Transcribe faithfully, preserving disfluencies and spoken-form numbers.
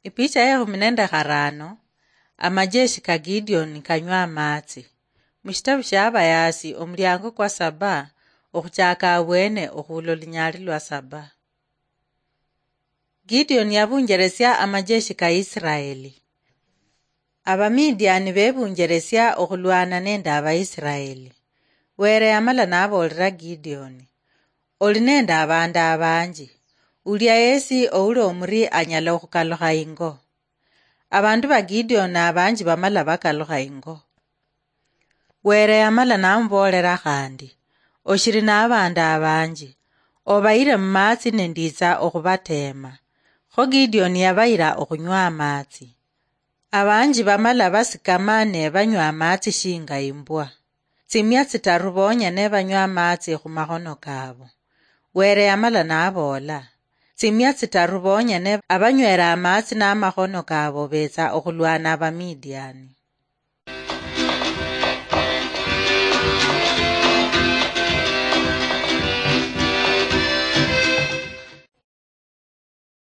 Ipicha ya ekhumi nende kharano. Amajeshi ka Gideon kanywa amaatsi. Mushitabu shia Abayasi, omuliango kwa saba, okhuchaka abwene okhuula olunyali lwa saba. Gideon yabunjeresia amajeshi ka Israeli. Abamidiani bebunjeresia okhulwana nende Abaisraeli. Were yamala naboolera Gideon, "Oli nende abandu abanji. Ulia yesi ouli omuri anyala okhukalukha ingo." Abandu ba Gideon abanji bamala bakalukha ingo. Were yamala namuboolera khandi, "Oshiri nabandu abanji. Obayire mumaatsi nenditsa okhubateema." Kho Gideon yabayira okhunywa amaatsi. Abanji bamala basikama ne banywa amaatsi shinga imbwa. Tsimia tsitaru bonyene banywa amaatsi khumakhono kabo. Were yamala naboola, "Tsimia tsitaru bonyene abanywera amaatsi namakhono kabo betsa okhulwana Abamidiani."